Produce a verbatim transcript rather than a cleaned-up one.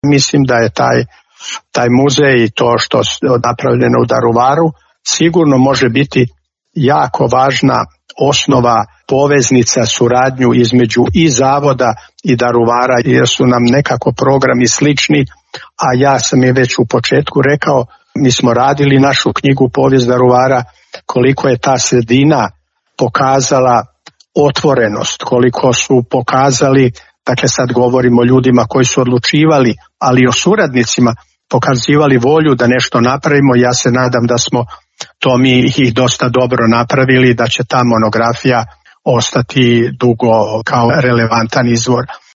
Mislim da je taj, taj muzej i to što je napravljeno u Daruvaru sigurno može biti jako važna osnova, poveznica, suradnju između i zavoda i Daruvara, jer su nam nekako programi slični, a ja sam je već u početku rekao, mi smo radili našu knjigu Povijest Daruvara, koliko je ta sredina pokazala otvorenost, koliko su pokazali, dakle sad govorimo o ljudima koji su odlučivali, ali i o suradnicima, pokazivali volju da nešto napravimo. Ja se nadam da smo to mi ih dosta dobro napravili, da će ta monografija ostati dugo kao relevantan izvor